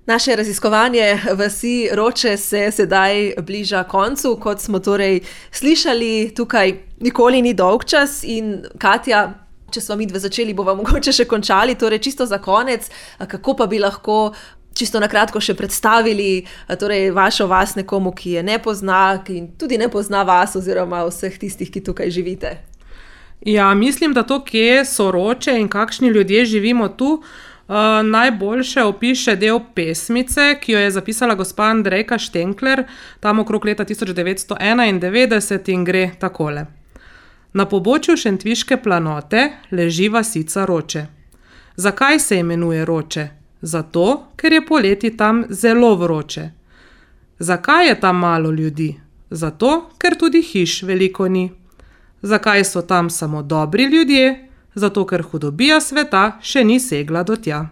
Naše raziskovanje vasi Roče se sedaj bliža koncu, kot smo torej slišali, tukaj nikoli ni dolgčas in Katja, če smo midve začeli, bova mogoče še končali, torej čisto za konec, kako pa bi lahko čisto na kratko še predstavili torej vašo vas nekomu, ki je ne pozna in tudi ne pozna vas oziroma vseh tistih, ki tukaj živite? Ja, mislim, da to, kje so Roče in kakšni ljudje živimo tu, najboljše opiše del pesmice, ki jo je zapisala gospa Andrejka Štenkler, tam okrog leta 1991 in gre takole. Na pobočju Šentviške planote leži vasica Roče. Zakaj se imenuje Roče? Zato, ker je poleti tam zelo vroče. Zakaj je tam malo ljudi? Zato, ker tudi hiš veliko ni. Zakaj so tam samo dobri ljudje? Zato, ker hudobija sveta še ni segla do tja.